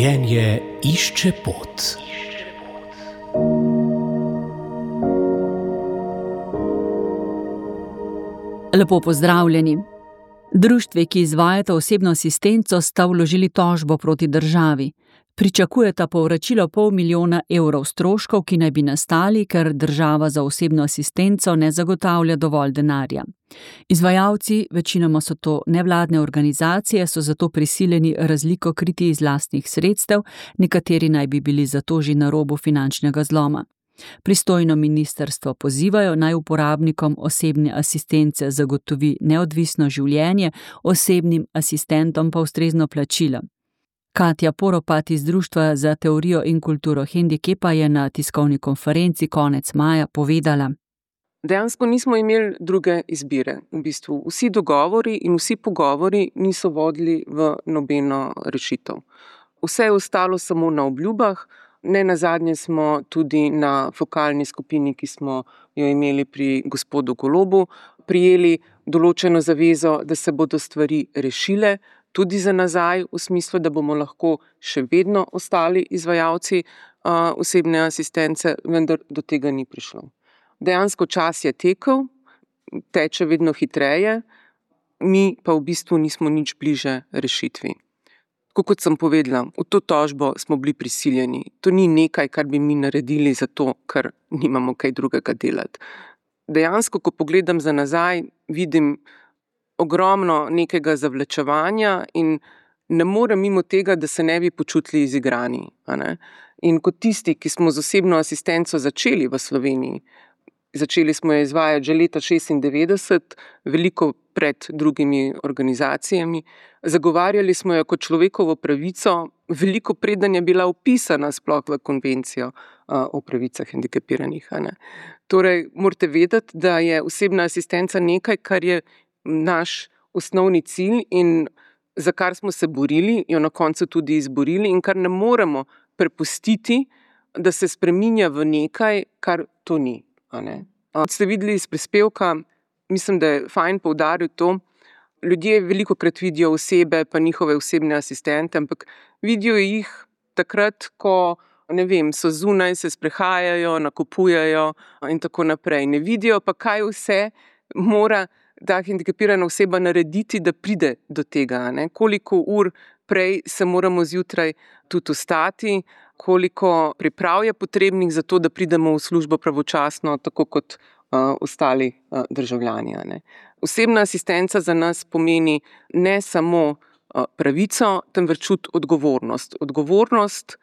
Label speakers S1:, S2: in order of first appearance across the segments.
S1: Življenje išče pot.
S2: Lepo pozdravljeni. Društvi, ki izvajata osebno asistenco, sta vložili tožbo proti državi. Pričakujeta povračilo $500 000 stroškov, ki naj bi nastali, ker država za osebno asistenco ne zagotavlja dovolj denarja. Izvajalci, večinoma so to nevladne organizacije, so zato prisiljeni razliko kriti iz lastnih sredstev, nekateri naj bi bili zato že na robu finančnega zloma. Pristojno ministrstvo pozivajo, naj uporabnikom osebne asistence zagotovi neodvisno življenje, osebnim asistentom pa ustrezno plačilo. Katja Poropat iz Društva za teorijo in kulturo hendikepa je na tiskovni konferenci konec maja povedala:
S3: Dejansko nismo imeli druge izbire. V bistvu vsi dogovori in vsi pogovori niso vodili v nobeno rešitev. Vse je ostalo samo na obljubah. Nenazadnje smo tudi na fokalni skupini, ki smo jo imeli pri gospodu Golobu, prijeli določeno zavezo, da se bodo stvari rešile, tudi za nazaj, v smislu, da bomo lahko še vedno ostali izvajalci osebne asistence, vendar do tega ni prišlo. Dejansko čas je tekel, teče vedno hitreje, mi pa v bistvu nismo nič bliže rešitvi. Kot sem povedala, v to tožbo smo bili prisiljeni. To ni nekaj, kar bi mi naredili zato, ker nimamo kaj drugega delati. Dejansko, ko pogledam za nazaj, vidim ogromno nekega zavlačevanja in ne morem mimo tega, da se ne bi počutili izigrani. In kot tisti, ki smo z osebno asistenco začeli v Sloveniji, začeli smo jo izvajati že leta 1996, veliko pred drugimi organizacijami. Zagovarjali smo jo kot človekovo pravico, veliko preden je bila vpisana sploh v konvencijo o pravicah hendikepiranih. Torej, morate vedeti, da je osebna asistenca nekaj, kar je naš osnovni cilj in za kar smo se borili, jo na koncu tudi izborili in kar ne moremo prepustiti, da se spreminja v nekaj, kar to ni. Ste videli iz prispevka, mislim, da je fajn poudariti to, ljudje velikokrat vidijo osebe pa njihove osebne asistente, ampak vidijo jih takrat, ko so zunaj, se sprehajajo, nakupujejo in tako naprej. Ne vidijo pa, kaj vse mora ta hendikepirana oseba narediti, da pride do tega. Koliko ur prej se moramo zjutraj tudi vstati, koliko priprav je potrebnih za to, da pridemo v službo pravočasno, tako kot ostali državljani. Osebna asistenca za nas pomeni ne samo pravico, temveč tudi odgovornost. Odgovornost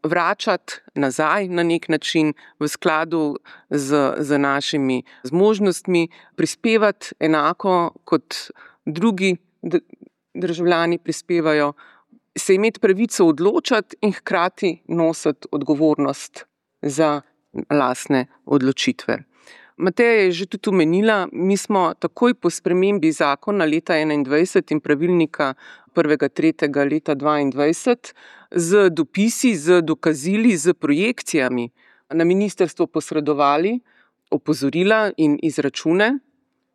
S3: vračati nazaj na nek način v skladu z našimi zmožnostmi, prispevati enako kot drugi državljani prispevajo, se imeti pravico odločati in hkrati nositi odgovornost za lastne odločitve. Mateja je že tudi omenila, mi smo takoj po spremembi zakona leta 2021 in pravilnika 1.3. leta 2022 z dopisi, z dokazili, z projekcijami na ministrstvo posredovali opozorila in izračune,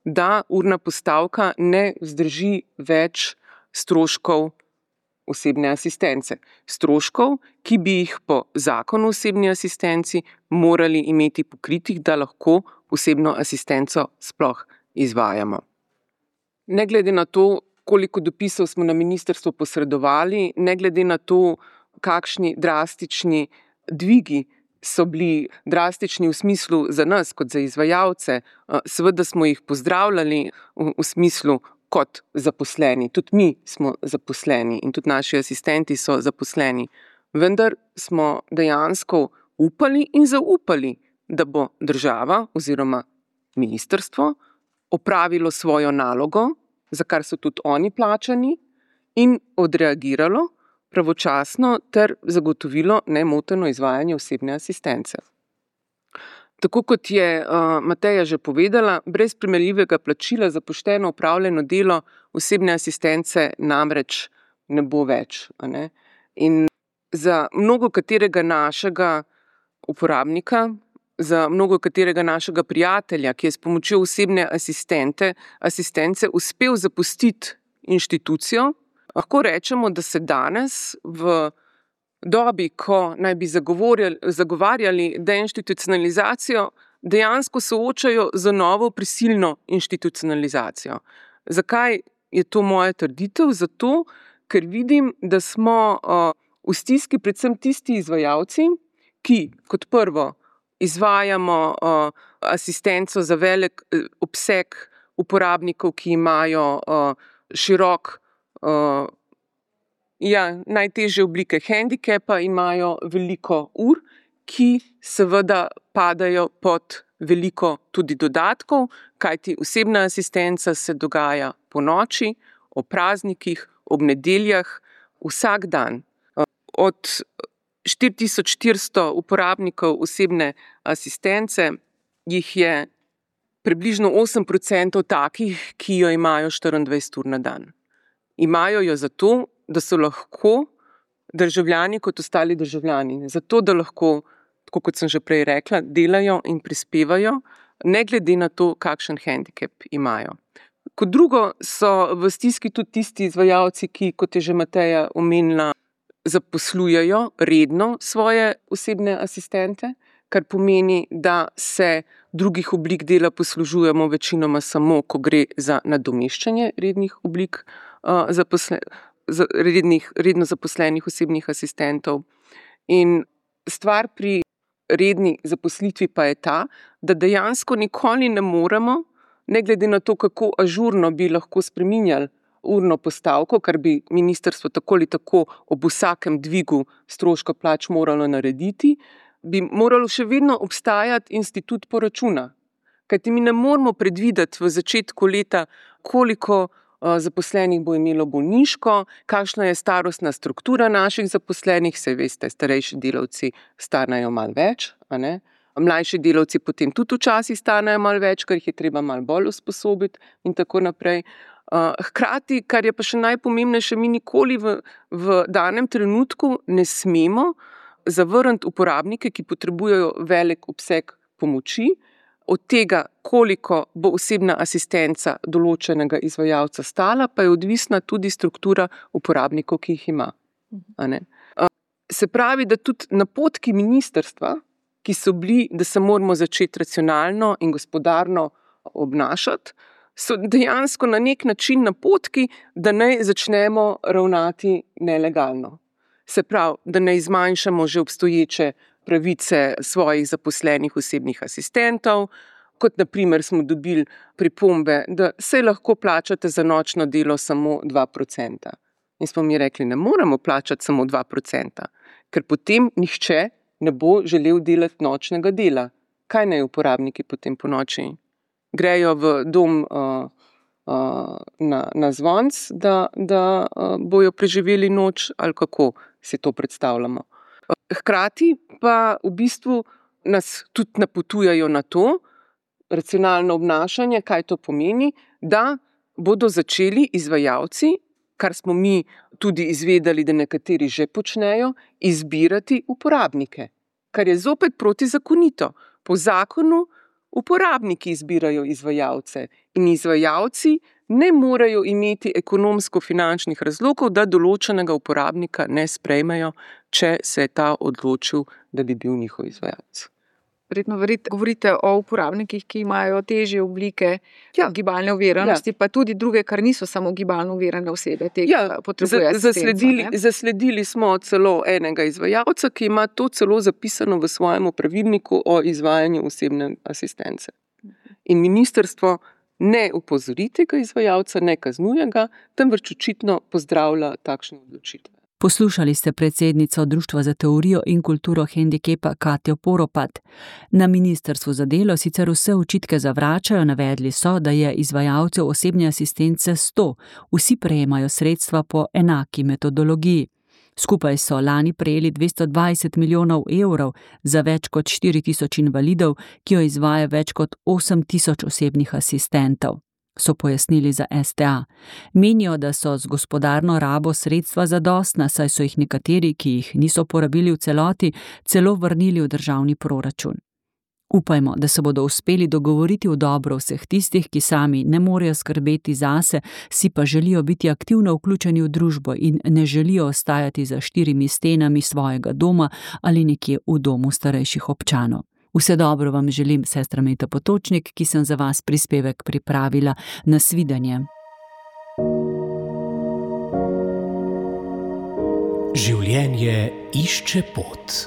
S3: da urna postavka ne vzdrži več stroškov osebne asistence. Stroškov, ki bi jih po zakonu o osebni asistenci morali imeti pokritih, da lahko osebno asistenco sploh izvajamo. Ne glede na to, koliko dopisov smo na ministrstvo posredovali, ne glede na to, kakšni drastični dvigi so bili drastični v smislu za nas kot za izvajalce, seveda smo jih pozdravljali v smislu kot zaposleni. Tudi mi smo zaposleni in tudi naši asistenti so zaposleni. Vendar smo dejansko upali in zaupali, da bo država oziroma ministrstvo opravilo svojo nalogo, za kar so tudi oni plačani, in odreagiralo pravočasno ter zagotovilo nemoteno izvajanje osebne asistence. Tako kot je Mateja že povedala, brez primerljivega plačila za pošteno opravljeno delo osebne asistence namreč ne bo več. In za mnogo katerega našega uporabnika, za mnogo katerega našega prijatelja, ki je s pomočjo osebne asistence uspel zapustiti inštitucijo, lahko rečemo, da se danes v dobi, ko naj bi zagovarjali deinstitucionalizacijo, dejansko soočajo z novo prisilno institucionalizacijo. Zakaj je to moja trditev? Zato, ker vidim, da smo v stiski predvsem tisti izvajalci, ki kot prvo izvajamo asistenco za velik obseg uporabnikov, ki imajo širok, najtežje oblike hendikepa, imajo veliko ur, ki seveda padajo pod veliko tudi dodatkov, kajti osebna asistenca se dogaja ponoči, ob praznikih, ob nedeljah, vsak dan. Od 4400 uporabnikov osebne asistence jih je približno 8% takih, ki jo imajo 24 ur na dan. Imajo jo zato, da so lahko državljani kot ostali državljani. Zato, da lahko, tako kot sem že prej rekla, delajo in prispevajo, ne glede na to, kakšen hendikep imajo. Kot drugo so v stiski tudi tisti izvajalci, ki, kot je že Mateja omenila, zaposlujejo redno svoje osebne asistente, kar pomeni, da se drugih oblik dela poslužujemo večinoma samo, ko gre za nadomeščanje rednih oblik redno zaposlenih osebnih asistentov. In stvar pri redni zaposlitvi pa je ta, da dejansko nikoli ne moremo, ne glede na to, kako ažurno bi lahko spreminjali urno postavko, kar bi ministrstvo tako ali tako ob vsakem dvigu stroška plač moralo narediti, bi moralo še vedno obstajati institut poračuna. Kajti mi ne moremo predvideti v začetku leta, koliko zaposlenih bo imelo bolniško, kakšna je starostna struktura naših zaposlenih, saj veste, starejši delavci stanejo malo več, a ne? Mlajši delavci potem tudi včasih stanejo malo več, ker jih je treba malo bolj usposobiti in tako naprej. Hkrati, kar je pa še najpomembnejše, mi nikoli v danem trenutku ne smemo zavrniti uporabnike, ki potrebujejo velik obseg pomoči, od tega, koliko bo osebna asistenca določenega izvajalca stala, pa je odvisna tudi struktura uporabnikov, ki jih ima. A ne? Se pravi, da tudi napotki ministrstva, ki so bili, da se moramo začeti racionalno in gospodarno obnašati, so dejansko na nek način napotki, da naj začnemo ravnati nelegalno. Se pravi, da ne zmanjšamo že obstoječe pravice svojih zaposlenih osebnih asistentov, kot na primer smo dobili pripombe, da se lahko plačate za nočno delo samo 2%. In smo mi rekli, ne moremo plačati samo 2%, ker potem nihče ne bo želel delati nočnega dela. Kaj naj uporabniki potem po noči? Grejo v dom na zvonc, da bojo preživeli noč, ali kako si to predstavljamo. Hkrati pa v bistvu nas tudi napotujajo na to, racionalno obnašanje, kaj to pomeni, da bodo začeli izvajalci, kar smo mi tudi izvedeli, da nekateri že počnejo, izbirati uporabnike, kar je zopet protizakonito. Po zakonu uporabniki izbirajo izvajalce in izvajalci ne morejo imeti ekonomsko-finančnih razlogov, da določenega uporabnika ne sprejmejo, če se je ta odločil, da bi bil njihov izvajalec.
S4: Verjetno govorite o uporabnikih, ki imajo težje oblike gibalne oviranosti, pa tudi druge, kar niso samo gibalno ovirane osebe, potrebujejo asistenco.
S3: Zasledili smo celo enega izvajalca, ki ima to celo zapisano v svojem pravilniku o izvajanju osebne asistence. In ministrstvo ne opozori tega izvajalca, ne kaznuje ga, temveč očitno pozdravlja takšne odločitve.
S2: Poslušali ste predsednico Društva za teorijo in kulturo hendikepa Katjo Poropat. Na ministrstvu za delo sicer vse očitke zavračajo, navedli so, da je izvajalcev osebne asistence 100, vsi prejemajo sredstva po enaki metodologiji. Skupaj so lani prejeli 220 milijonov evrov za več kot 4000 invalidov, ki jo izvaja več kot 8000 osebnih asistentov, so pojasnili za STA. Menijo, da so z gospodarno rabo sredstva zadostna, saj so jih nekateri, ki jih niso porabili v celoti, celo vrnili v državni proračun. Upajmo, da se bodo uspeli dogovoriti v dobro vseh tistih, ki sami ne morejo skrbeti zase, si pa želijo biti aktivno vključeni v družbo in ne želijo ostajati za 4 stenami svojega doma ali nekje v domu starejših občanov. Vse dobro vam želim, sestra Meta Potočnik, ki sem za vas prispevek pripravila. Nasvidenje.
S1: Življenje išče pot.